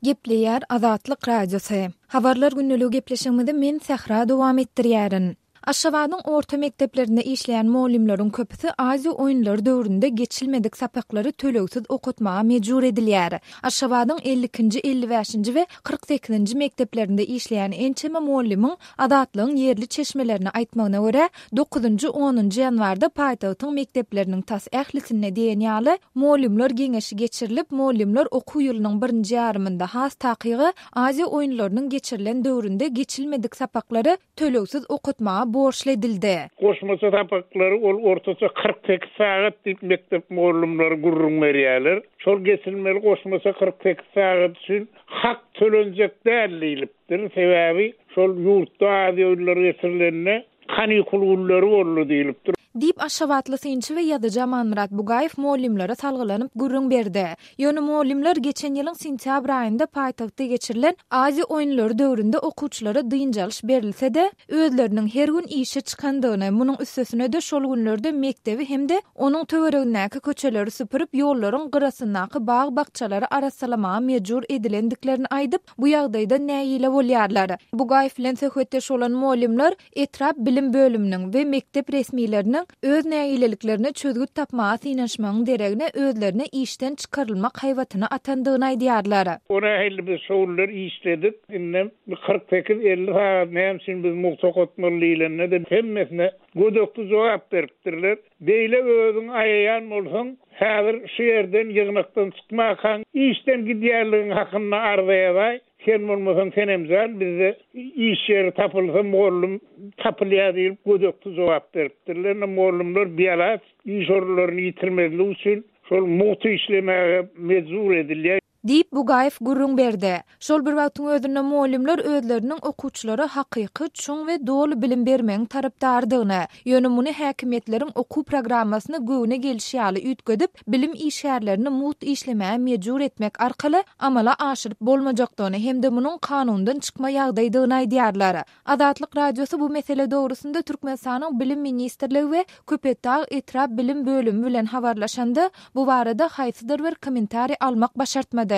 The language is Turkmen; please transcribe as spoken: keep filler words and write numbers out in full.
Gepleýär Azatlyk Radiosy. Habarlar gündeligi gepleşigimizi men Sähra dowam etdirýärin. Aşgabadyň orta mekdeplerinde işleýän mugallymlaryň köpüsi Aziýa oýunlary döwründe geçilmedik sapaklary tölegsiz okatmaga mejbur edilýär. Aşgabadyň elli ikinji, elli bäşinji we kyrk sekizinji mekdeplerinde işleýän ençeme mugallymyň Azatlygyň ýerli çeşmelerine aýtmagyna görä, dokuzynjy, onunjy ýanwarda paýtagtyň mekdepleriniň tas ählisinde diýen ýaly mugallymlar geňeşi geçirilip, mugallymlar okuw ýylynyň birinji ýarymynda, has takygy, Aziýa oýunlarynyň geçirilen döwründe geçilmedik sapaklary tölegsiz okatmaga borçly edildi. Goşmaça sapaklary ol ortaça kyrk sekiz sagat diýip mekdep mugallymlary gürrüň berýärler. Şol geçilmeli goşmaça kyrk sekiz sagat üçin hak tölenjek däl diýlipdir. Sebäbi şol ýurtda Aziýa oýunlary geçirilende kanikul günleri boldy diýlipdir. Diýip, aşgabatly synçy we ýazyjy Amanmyrat Bugaýew mugallymlara salgylanyp gürrüň berdi. Ýöne mugallymlar geçen ýylyň sentýabr aýynda paýtagtda geçirilen Aziýa oýunlary döwründe okuwçylara dynç alyş berilse-de, özleriniň her gün işe çykandygyny, munuň üstesine-de şol günlerde mekdebi hem-de onuň töweregindäki köçeleri süpürip, ýollaryň gyrasyndaky bag-bakjalary arassalamaga mejbur edilendiklerini aýdyp, bu ýagdaýdan nägile bolýarlar. Bugaýew bilen söhbetdeş bolan mugallymlar etrap bilim bölüminiň we mekdep resmileriniň öz nägileliklerine çözgüt tapmaga synanyşmagyň deregine özlerine işden çykarylmak haýbatyny atandygyny aýdýarlar. O nähili biz şo günler işledik, indem bir kyrk sekiz-elli sagat näme üçin biz mugt okatmaly diýlende-de hemmesine gödekli jogap beripdirler. Beýle özüň aýaýan bolsaň, häzir şu ýerden ýygnakdan çykmakaň işden gidýänligiň hakynda arza ýazaý, sen bolmasaň Senemjan bizde iş ýeri tapylsa mugallym tapylýar diýip gödekli jogap beripdirler. Indi mugallymlar bialaç iş orunlaryny ýitirmezlik üçin şol mugt işlemäge mejbur edilýär. Diýip, Bugaýew gürrüň berdi. Şol bir wagtyň özünde mugallymlar özleriniň okuwçylara hakyky, çuň we doly bilim bermegiň tarapdarydygyny, ýöne muny häkimiýetleriň okuw programmasyny göwne gelşi ýaly üýtgedip, bilim işgärlerini mugt işlemäge mejbur etmek arkaly amala aşyryp bolmajakdygyny hem-de munuň kanundan çykma ýagdaýdygyny aýdýarlar. Azatlyk Radiosy bu mesele dogrusynda Türkmenistanyň Bilim ministrligi we Köpetdag etrap bilim bölümi bilen habarlaşanda, bu barada haýsydyr bir kommentariý almak başartmady.